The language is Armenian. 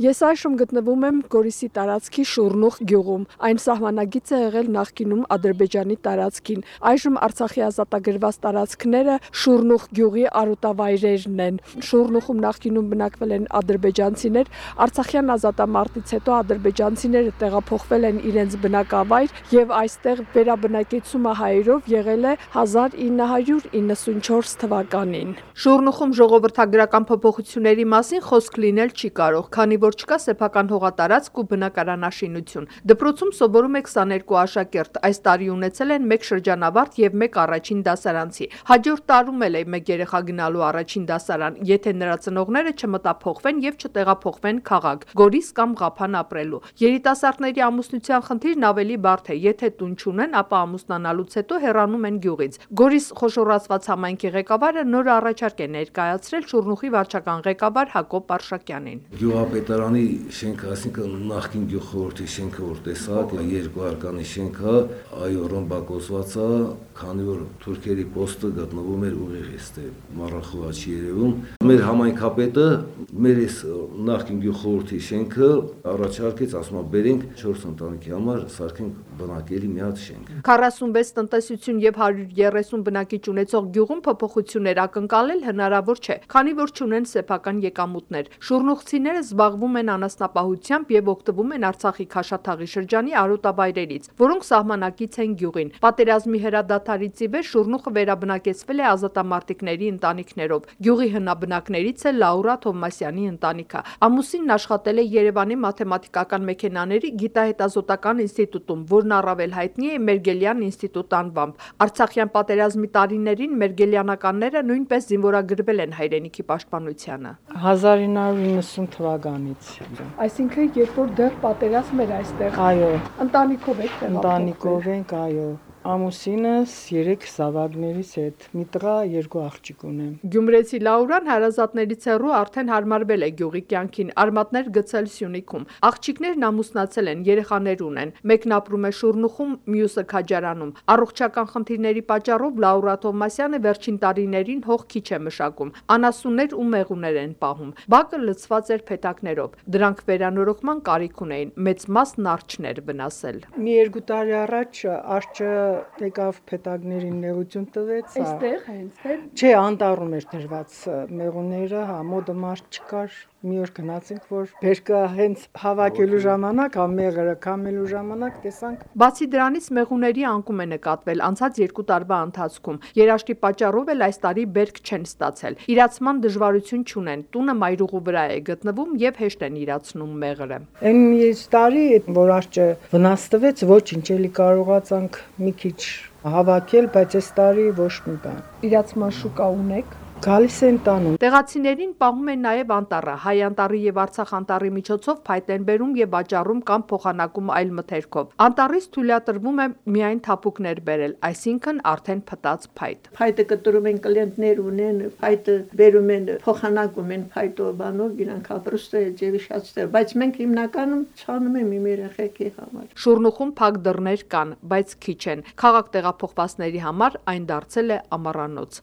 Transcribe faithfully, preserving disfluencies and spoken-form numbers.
Ես այժմ գտնվում եմ Գորիսի տարածքի Շուռնուխ գյուղում։ Այն սահմանագիծ է եղել նախկինում Ադրբեջանի տարածքին։ Այժմ Արցախի ազատագրված տարածքները Շուռնուխ գյուղի արոտավայրերն են։ Շուռնուխում նախկինում բնակվել են ադրբեջանցիներ, Արցախյան ազատամարտից հետո ադրբեջանցիները տեղափոխվել են իրենց բնակավայր եւ այստեղ վերաբնակեցումը հայերով եղել է հազար ինը հարյուր իննսունչորս թվականին։ Շուռնուխում ժողովրդագրական փոփոխությունների մասին խոսք լինել չի կարող, քանի որ չկա սեփական հողատարածք ու բնակարանաշինություն։ Դպրոցում սովորում է քսաներկու աշակերտ, այս տարի ունեցել են մեկ շրջանավարտ եւ մեկ առաջին դասարանցի։ Հաջորդ տարում էլ է մեկ երեխա գնալու առաջին դասարան, եթե նրա ծնողները չմտափոխվեն եւ չտեղափոխվեն քաղաք, Գորիս կամ Ղափան ապրելու։ Երիտասարդների ամուսնության խնդիրն ավելի բարդ է, եթե տուն չունեն, ապա ամուսնանալուց հետո հեռանում են գյուղից։ Գորիս խոշորացված համայնքի ղեկավարը նոր առաջարկ է ներկայացրել Շուռնուխի վարչական ղեկավար Հակոբ Արշակյանին։ Գյուղապետարանի շենքը, այսինքն նախկին գյուղխորհրդի շենքը, որ տեսակ, երկու արկանի շենքը, այո, ռմբակոծված է, քանի որ թուրքերի պոստը գտնվում էր ուղիղ այստեղ, մառախուղա չի երևում։ Մեր համայնքապետը մեր այս նախկին գյուղխորհրդի շենքը առաջարկեց, ասում է, բերենք չորս ընտանիքի համար սարքենք բնակելի մի հատ շենք։ քառասունվեց տնտեսություն եւ հարյուր երեսուն բնակիչ ունեցող գյուղում փոփոխություններ ակնկալել հնարավոր չէ, քանի որ չունեն սեփական եկամուտներ։ Շուռնուխցիները զբաղվում են անասնապահությամբ եւ օգտվում են Արցախի Քաշաթաղի շրջանի արոտավայրերից, որոնք սահմանակից են գյուղին։ Պատերազմի հրադադարից ի վեր Շուռնուխը վերաբնակեցվել է ազատամարտիկների ընտանիքներով։ Գյուղի հնաբնակներից է Լաուրա Թովմասյանի ընտանիքը։ Ամուսինն աշխատել է Երևանի մաթեմատիկական մեքենաների գիտահետազոտական ինստիտուտում, որն առավել հայտնի է Մերգելյան ինստիտուտ անվամբ։ Արցախյան պատերազմի տարիներին մերգելյանականները նույնպես զինվորագրվել են հայրենիքի պաշտպանությանը։ հազար ինը հարյուր իննսուն թվականից։ Այսինքն, երբ որ դեռ պատերազմ էր այստեղ։ Այո։ Ընտանիքով եք տեղափոխվել։ Ընտանիքով ենք, այո։ Ամուսինս երեք զավակներից հետ, մի տղա, երկու աղջիկ ունեմ։ Գյումրեցի Լաուրան հարազատներից հեռու արդեն հարմարվել է գյուղի կյանքին, արմատներ գցել Սյունիքում։ Աղջիկներն ամուսնացել են, երեխաներ ունեն։ Մեկն ապրում է Շուռնուխում, մյուսը Քաջարանում։ Առողջական խնդիրների պատճառով Լաուրա Թովմասյանը վերջին տարիներին հող քիչ է մշակում։ Անասուններ ու մեղուներ են պահում։ Բակը լցված էր փեթակներով։ Դրանք վերանորոգման կարիք ունեին, մեծ մասն արջներ վնասել։ Մի երկու տարի առաջ արջը եկավ փեթակներին նեղություն տվեց։ Այստեղ հենց է։ Չէ, անտառում էր դրված մեղուները, հա, մոդը մարդ չկար։ Մի օր գնացինք, որ բերկը հենց հավաքելու ժամանակ, հա, մեղրը քամելու ժամանակ տեսանք։ Բացի դրանից մեղուների անկում է նկատվել անցած երկու տարվա ընթացքում։ Երաշտի պատճառով էլ այս տարի բերք չեն ստացել։ Իրացման դժվարություն չունեն։ Տունը մայրուղու վրա է գտնվում եւ հեշտ են իրացնում մեղրը։ Այն մի տարի, որ արջը վնաս տվեց, ոչինչ էլի կարողացանք մի քիչ հավաքել, բայց այս տարի ոչ մի բան։ Իրացման շուկա ունեք։ Գալիս են տանում։ Տեղացիներին պահում են նաև անտառը, հայ անտառի եւ Արցախ անտառի միջոցով փայտ են բերում եւ վաճառում կամ փոխանակում այլ մթերքով։ Անտառից թույլատրվում է միայն թափուկներ բերել, այսինքն արդեն փտած փայտ։ Փայտը կտրում են կլիենտներ ունեն, փայտը բերում են, փոխանակում են փայտով բանով, իրանք ապրուստը ջեվիշացել, բայց մենք հիմնականում ցանում ենք իմ երեխեքի համար։ Շուռնուխում փակ դռներ կան, բայց քիչ են։ Քաղաք տեղափոխվածների համար այն դարձել է ամառանոց։